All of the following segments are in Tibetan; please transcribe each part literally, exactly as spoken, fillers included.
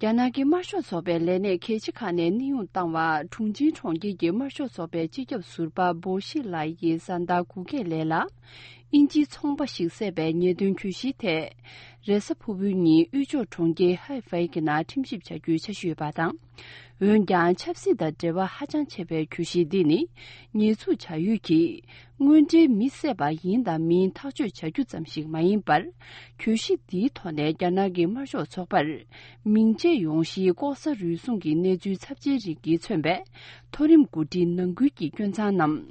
རྒྱ་ནག་གི་དམར་ཤོག་ཚོགས་པའི་ལས་སྣེ་གལ་ཆེ་ཁག་ནས་གནས་དབྱུང་བཏང་བ། ཁྲུང་ཆིང་གྲོང་ཁྱེར་གྱི་དམར་ཤོག་ཚོགས་པའི་སྤྱི་ཁྱབ་ཟུར་པ་པོ་ཤི་ལའི་ཡིས་གཟའ་ཟླ་གུ་གེ་ལེ་ལ་དབྱིན་ཇིའི་ཚོང་པ་ཞིག་བསད་པའི་ཉེས་དོན་གྱོད་གཞིའི་ཐད། རེས་གཟའ་ཕུར་བུའི་ཉིན་དབུས་ཕྱོགས་གྲོང་ཁྱེར་ཧའེ་ཧྥེ་གི་ནང་ཁྲིམས་ཞིབ་བྱ་རྒྱུའི་འཆར་གཞི་ཡོད་པ་དང་། འོན་ཀྱང་ཆབ་སྲིད་དང་འབྲེལ་བ་ཧ་ཅང་ཆེ་བའི་གྱོད་གཞི་འདི་ནི། ཉེས་འཛུགས་བྱ་ཡུལ་གྱིས་དངོས་འབྲེལ་མི་བསད་པ་ཡིན་དང་མིན་ཐག་གཅོད་བྱ་རྒྱུ་ཙམ་ཞིག་མ་ཡིན་པར། གྱོད་གཞི་འདིའི་ཐོག་ནས་རྒྱ་ནག་གི་དམར་ཤོག་ཚོགས་པར་མིང་ཆད་ཡོང་གཞིའི་ལྐོག་ཟ་རུལ་སུངས་ཀྱི་གནས་ཚུལ་ཚབས་ཆེན་རིགས་ཀྱིས་མཚོན་པའི་མཐོ་རིམ་འགོ་ཁྲིད་ནང་ཁུལ་གྱི་སྐྱོན་མཚང་རྣམས།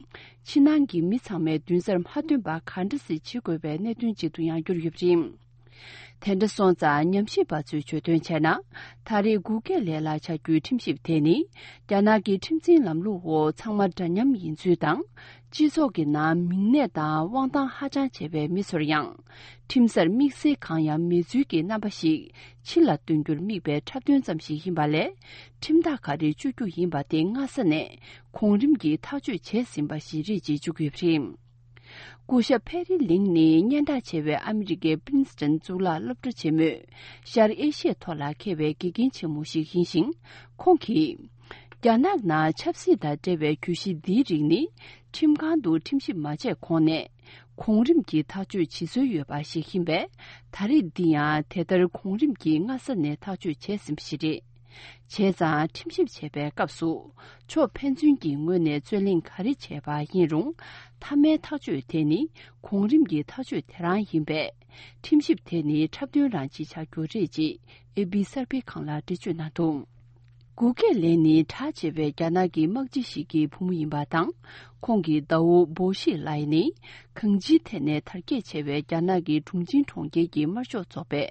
ཕྱི་ནང་གི་མི་ཚང་མས་མདུན་སར་མ་ཐོན་པ་ག་འདྲ་སེ་བྱེད་དགོས་པའི་གནད་དོན་ཅིག་ཏུ་ཡང་གྱུར་ཡོད་པ་རེད། དེ་འདྲ་སོང་ཙང་ཉམས་ཞིབ་པ་ཚོས་བརྗོད་དོན་བྱས་ན། ད་རེས་གུ་གེ་ལེ་ལ་བྱ་རྒྱུའི་ཁྲིམས་ཞིབ་དེ་ནི། རྒྱ་ནག་གི་ཁྲིམས་འཛིན་ལམ་ལུགས་འོག་ཚང་མ་འདྲ་མཉམ་ཡིན་ཚུལ་དང་། སྤྱི་ཚོགས་ཀྱི་ནང་མིང་གནས་དང་དབང་ཐང་ཧ་ཅང་ཆེ་བའི་མི་ཚོར་ཡང་། ཁྲིམས་སར་དམིགས་བསལ་གང་ཡང་མེད་ཚུལ་གྱི་རྣམ་པ་ཞིག་ཕྱི་ལ་སྟོན་རྒྱུར་དམིགས་པའི་འཁྲབ་སྟོན་ཙམ་ཞིག་ཡིན་པ་ལས། ཁྲིམས་ཐག་ག་རེ་གཅོད་རྒྱུ་ཡིན་པ་དེ་སྔ་ས་ནས་གོང་རིམ་གྱིས་ཐག་གཅོད་བྱས་ཟིན་པ་ཞིག་རེད་ཅེས་བརྗོད་ཀྱི་ཡོད་པ་རེད། སྐུ་ཞབས་ཕེ་རི་ལིང་ནི་སྙན་གྲགས་ཆེ་བའི་ཨ་མི་རི་ཀའི་པིན་སི་ཏན་གཙུག་ལག་སློབ་གྲྭ་ཆེན་མོས་ཤར་ཨེ་ཤི་ཡའི་ཐོག་ལ་མཁས་པའི་དགེ་རྒན་ཆེན་མོ་ཞིག་ཡིན་ཞིང་། ཁོང་གིས། རྒྱ་ནག་ནང་ཆབ་སྲིད་དང་འབྲེལ་བའི་གྱོད་གཞི་འདིའི་རིགས་ནི། ཁྲིམས་ཁང་དུ་ཁྲིམས་ཞིབ་མ་བྱས་གོང་ནས། གོང་རིམ་གྱིས་ཐག་གཅོད་བྱེད་སྲོལ་ཡོད་པ་ཞིག་ཡིན་པས། ད་རེས་འདི་ཡང་དེ་ལྟར་གོང་རིམ་གྱིས་སྔ་ས་ནས་ཐག་གཅོད་བྱས་ཟིན་པ་ཞིག་རེད། བྱས་ཙང་ཁྲིམས་ཞིབ་བྱས་པའི་སྐབས་སུ། ཕྱོགས་ཕན་ཚུན་གྱི་ངོས་ནས་རྩོད་གླེང་ག་རེ་བྱས་པ་ཡིན་རུང་། མཐའ་མའི་ཐག་གཅོད་དེ་ནི་གོང་རིམ་གྱི་ཐག་གཅོད་དེ་རང་ཡིན་པས། ཁྲིམས་ཞིབ་དེ་ནི་འཁྲབ་སྟོན་རང་ཅིག་ཆགས་རྒྱུ་རེད་ཅེས་ཨེ་པི་གསར་སྤེལ་ཁང་ལ་འགྲེལ་བརྗོད་གནང་འདུག་གུ་ཀེ་ལེ་ནི་གྲགས་ཆེ་བའི་རྒྱ་ནག་གི་དམག་སྤྱི་ཞིག་གི་བུ་མོ་ཡིན་པ་དང་། ཁོང་གི་ཟླ་བོ་བོ་ཤི་ལའི་ནི། གང་ཅིའི་ཐད་ནས་དར་རྒྱས་ཆེ་བའི་རྒྱ་ནག་གི་ཁྲུང་ཆིང་གྲོང་ཁྱེར་གྱི་དམར་ཤོག་ཚོགས་པའི་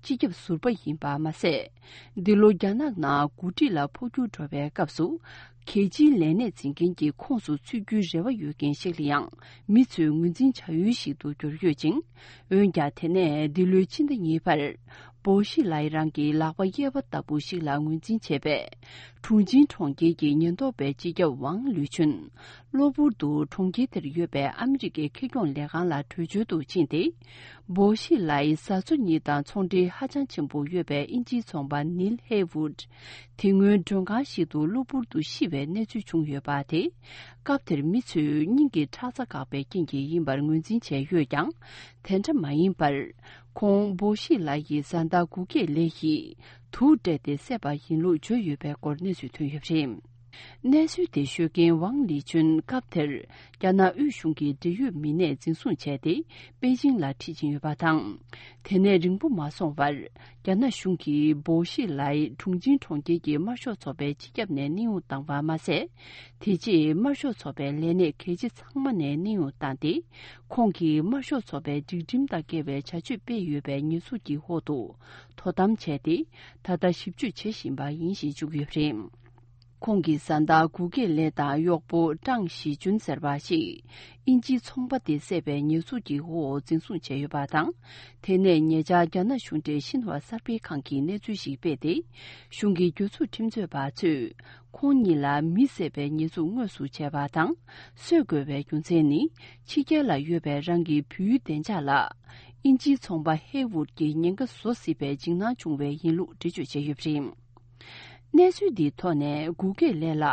སྤྱི་ཁྱབ་ཟུར་པ་ཡིན་པ་མ་ཟད། འདི་ལོ་རྒྱ་ནག་ནང་འགོ་ཁྲིད་ལ་འཕོ་འགྱུར་འགྲོ་བའི་སྐབས་སུ། རྒྱལ་སྤྱིའི་ལས་གནས་འཛིན་མཁན་གྱི་ཁོངས་སུ་ཚུད་རྒྱུའི་རེ་བ་ཡོད་མཁན་ཞིག་ལ་ཡང་མི་ཚོས་ངོས་འཛིན་བྱ་ཡུལ་ཞིག་ཏུ་གྱུར་ཡོད་ཅིང་། འོན་ཀྱང་དེ་ནས་འདི་ལོའི་ཕྱི་ཟླ་གཉིས་པར། བོ་ཤི་ལའི་རང་གི་ལག་པ་གཡས་པ་ལྟ་བུ་ཞིག་ལ་ངོས་འཛིན་བྱས་པས། ཁྲུང་ཆིང་གྲོང་ཁྱེར་གྱི་ཉེན་རྟོག་པའི་སྤྱི་ཁྱབ་ཝང་ལུའུ་ཆུན། གློ་བུར་དུ་གྲོང་ཁྱེར་དེར་ཡོད་པའི་ཨ་མི་རི་ཀའི་ཁེ་གྱོང་ལས་ཁང་ལ་བྲོས་བྱོལ་དུ་ཕྱིན་ཏེ། བོ་ཤི་ལའི་བཟའ་ཚོ་གཉིས་དང་ཚོང་འབྲེལ་ཧ་ཅང་ཆེན་པོ་ཡོད་པའི་དབྱིན་ཇིའི་ཚོང་པ་ནིལ་ཧེ་ཝུད། དེ་སྔོན་མགྲོན་ཁང་ཞིག་ཏུ་གློ་བུར་དུ་ཤི་བའི་གནས་ཚུལ་བྱུང་ཡོད་པ་དེ། སྐབས་དེར་མི་ཚོས་སྙིང་གི་ཁྲག་རྩ་འགག་པའི་རྐྱེན་གྱིས་ཡིན་པར་ངོས་འཛིན་བྱས་ཡོད་ཀྱང་། དེ་འདྲ་མ་ཡིན་པར། ཁོང་བོ་ཤི་ལའི་ཡི་བཟའ་ཟླ་གུ་ཀེ་ལེ་ཡིས་དུག་སྤྲད་དེ་བསད་པ་ཡིན་ལུགས་བརྗོད་ཡོད་པའི་སྐོར་གནས་ཚུལ་ཐོན་ཡོད་པ་རེད། གནས་ཚུལ་དེ་ཤོད་མཁན་ཝང་ལི་ཅུན་སྐབས་དེར་རྒྱ་ནག་དབུས་གཞུང་གི་འབྲེལ་ཡོད་མི་སྣས་འཛིན་བཟུང་བྱས་ཏེ་པེ་ཅིང་ལ་ཁྲིད་ཕྱིན་ཡོད་པ་དང་། དེ་ནས་རིང་པོ་མ་སོང་བར་རྒྱ་ནག་གཞུང་གིས་བོ་ཤི་ལའི་ཁྲུང་ཆིང་གྲོང་ཁྱེར་གྱི་དམར་ཤོག་ཚོགས་པའི་སྤྱི་ཁྱབ་ནས་གནས་དབྱུང་བཏང་བ་མ་ཟད། དེ་རྗེས་དམར་ཤོག་ཚོགས་པའི་ལས་སྣེ་གལ་ཆེ་ཚང་མ་ནས་གནས་དབྱུང་བཏང་སྟེ། ཁོང་གིས་དམར་ཤོག་ཚོགས་པའི་སྒྲིག་ཁྲིམས་དང་འགལ་བའི་བྱ་སྤྱོད་སྤེལ་ཡོད་པའི་ཉེས་འཛུགས་ཀྱི་འོག་ཏུ་དོ་དམ་བྱས་ཏེ། ད་ལྟ་ཞིབ་དཔྱོད་བྱེད་བཞིན་པ་ཡིན་ཞེས་བརྗོད་ཀྱི་ཡོད་པ་རེད། ཁོང་གི་བཟའ་ཟླ་གུ་ཀེ་ལེ་དང་གཡོག་པོ་ཀྲང་ཞི་ཅུན་ཟེར་བ་ཞིག་དབྱིན་ཇིའི་ཚོང་པ་དེ་བསད་པའི་ཉེས་འཛུགས་ཀྱི་འོག་འཛིན་བཟུང་བྱས་ཡོད་པ་དང་། དེ་ནས་ཉེ་ཆར་རྒྱ་ནག་གཞུང་འབྲེལ་ཤིན་ཧྭ་གསར་སྤེལ་ཁང་གིས་གནས་ཚུལ་ཞིག་སྤེལ་ཏེ། གཞུང་གི་གྱོད་འཛུགས་ཁྲིམས་རྩོད་པ་ཚོས་ཁོང་གཉིས་ལ་མི་བསད་པའི་ཉེས་འཛུགས་དངོས་སུ་བྱས་པ་དང་། གསོད་དགོས་པའི་རྒྱུ་མཚན་ནི། ཕྱི་རྒྱལ་ལ་ཡོད་པའི་རང་གི་བུའི་བདེ་འཇགས་ལ། དབྱིན་ཇིའི་ཚོང་པ་ཧེ་ཝུད་ཀྱིས་ཉེན་ཁ་བཟོ་སྲིད་པའི་འཇིགས་སྣང་བྱུང་བས་ཡིན་ལུགས་འགྲེལ་བརྗོད་བྱས་ཡོད་པ་རེད། གནས་ཚུལ་འདིའི་ཐོག་ནས་གུ་ཀེ་ལེ་ལ་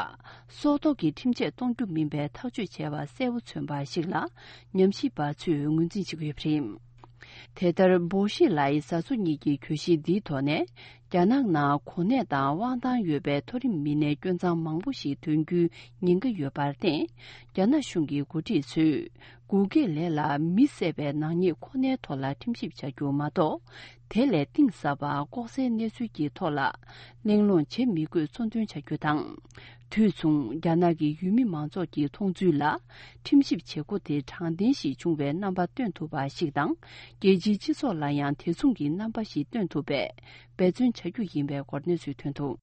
སྲོག་ཐོག་གི་ཁྲིམས་ཆད་གཏོང་རྒྱུ་མིན་པའི་ཐག་གཅོད་བྱས་པ་གསལ་པོ་མཚོན་པ་ཞིག་ལ་ཉམས་ཞིབ་པ་ཚོས་ངོས་འཛིན་བྱེད་ཀྱི་ཡོད་པ་རེད། དེ་ལྟར་བོ་ཤི་ལའི་བཟའ་ཚོ་གཉིས་ཀྱི་གྱོད་གཞི་འདིའི་ཐོག་ནས་རྒྱ་ནག་ནང་གོ་གནས་དང་དབང་ཐང་ཡོད་པའི་མཐོ་རིམ་མི་སྣའི་སྐྱོན་མཚང་མང་པོ་ཞིག་ཐོན་རྒྱུའི་ཉེན་ཁ་ཡོད་པར་བརྟེན། རྒྱ་ནག་གཞུང་གི་འགོ་ཁྲིད་ཚོས་གུ་ཀེ་ལེ་ལ་མི་བསད་པའི་ནག་ཉེས་ཁོ་ནའི་ཐོག་ལ་ཁྲིམས་ཞིབ་བྱ་རྒྱུ་མ་གཏོགས། དེ་ལས་གཏིང་ཟབ་པ་ལྐོག་ཟའི་གནས་ཚུལ་གྱི་ཐོག་ལ་གླེང་སློང་བྱེད་མི་དགོས་གཙོ་འདོན་བྱ་རྒྱུ་དང་། དུས་མཚུངས་རྒྱ་ནག་གི་ཡུལ་མི་མང་ཚོགས་ཀྱི་མཐོང་ཚུལ་ལ་ཁྲིམས་ཞིབ་བྱེད་སྒོ་དེ་དྲང་བདེན་ཞིག་བྱུང་བའི་རྣམ་པ་སྟོན་ཐུབ་པ་ཞིག་དང་། རྒྱལ་སྤྱིའི་སྤྱི་ཚོགས་ལ་ཡང་དེ་མཚུངས་ཀྱི་རྣམ་པ་ཞིག་སྟོན་ཐུབ་པའི་འབད་བརྩོན་བྱ་རྒྱུ་ཡིན་པའི་སྐོར་གནས་ཚུལ་ཐོན་འདུག